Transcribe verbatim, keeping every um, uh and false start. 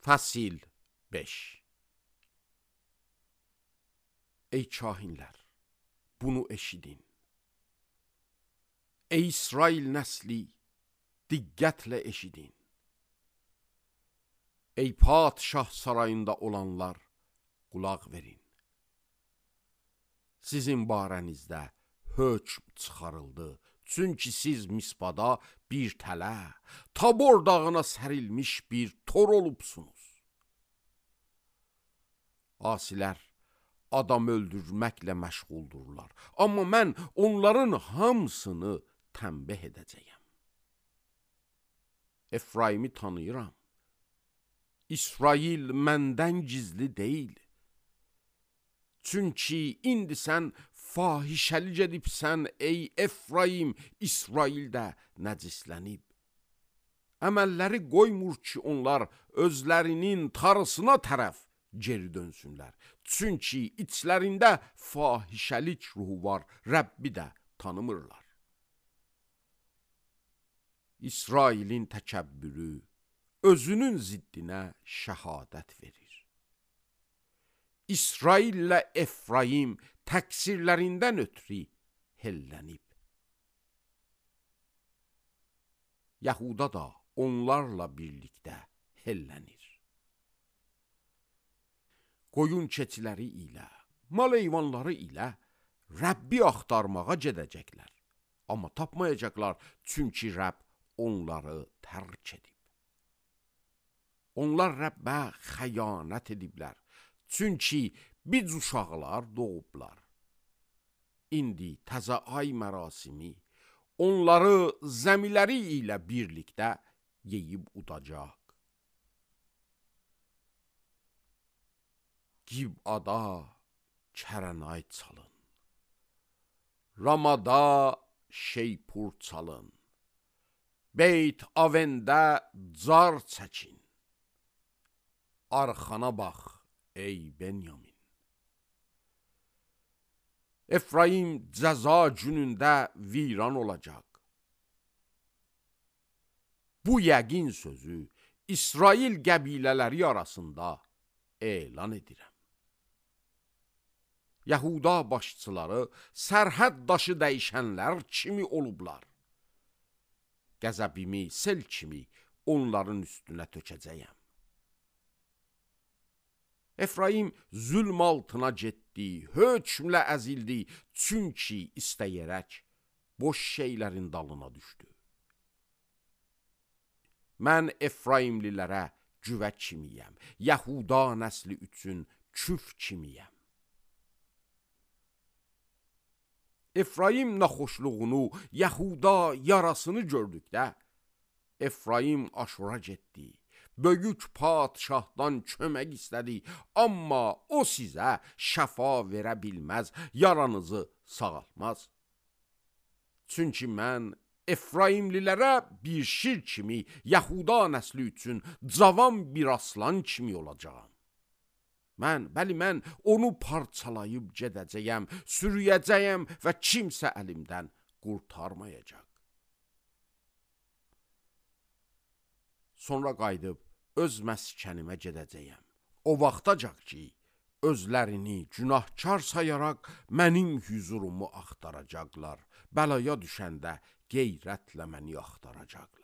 Fəsil beş. Ey kahinlər, bunu eşidin. Ey İsrail nəsli, diqqətlə eşidin. Ey padşah sarayında olanlar, qulaq verin. Sizin barənizdə hökm çıxarıldı. Çünki siz Mispada bir tələ, Tabor dağına sərilmiş bir tor olubsunuz. Asilər adam öldürməklə məşğuldurlar. Amma mən onların hamısını tənbih edəcəyəm. Efraimi tanıyıram. İsrail məndən gizli deyil. Çünki indi sən fahişəlik edibsən, ey Efraim, İsrail də nəcislənib. Əməlləri qoymur ki, onlar özlərinin tarısına tərəf geri dönsünlər. Çünki içlərində fahişəlik ruhu var, Rəbbi də tanımırlar. İsrailin təkəbbürü özünün ziddinə şəhadət verir. İsraillə Efraim təqsirlərindən ötürü hellənib. Yahuda da onlarla birlikdə hellənir. Qoyun keçiləri ilə, mal heyvanları ilə Rəbbi axtarmağa gedəcəklər. Amma tapmayacaqlar, çünki Rəbb onları tərk edib. Onlar Rəbbə xəyanət ediblər. Çünki biz uşaqlar doğublar. İndi təzə ay mərasimi onları zəmiləri ilə birlikdə yeyib udacaq. Gibada kərənay çalın. Ramada şeypur çalın. Beyt Avəndə car çəkin. Arxana bax, ey Benyamin. Efraim cəza günündə viran olacaq. Bu yəqin sözü İsrail qəbilələri arasında elan edirəm. Yahuda başçıları sərhəd daşı dəyişənlər kimi olublar. Qəzəbimi sel kimi onların üstünə tökəcəyəm. Efraim zülm altına getdi, hökmlə əzildi, çünki istəyərək boş şeylərin dalına düşdü. Mən Efraimlilərə cüvə kimiyəm, Yahuda nəsli üçün küf kimiyəm. Efraim naxoşluğunu, Yahuda yarasını gördükdə, Efraim Aşura getdi. Böyük padşahdan kömək istədi, amma o sizə şəfa verə bilməz, yaranızı sağaltmaz. Çünki mən Efraimlilərə bir şir kimi, Yahuda nəsli üçün cavan bir aslan kimi olacağam. Mən, bəli mən onu parçalayıb gedəcəyəm, sürüyəcəyəm və kimsə əlimdən qurtarmayacaq. Sonra qayıdıb öz məskənimə gedəcəyəm. O vaxtacaq ki, özlərini günahkar sayaraq mənim hüzurumu axtaracaqlar. Bəlaya düşəndə qeyrətlə məni axtaracaqlar.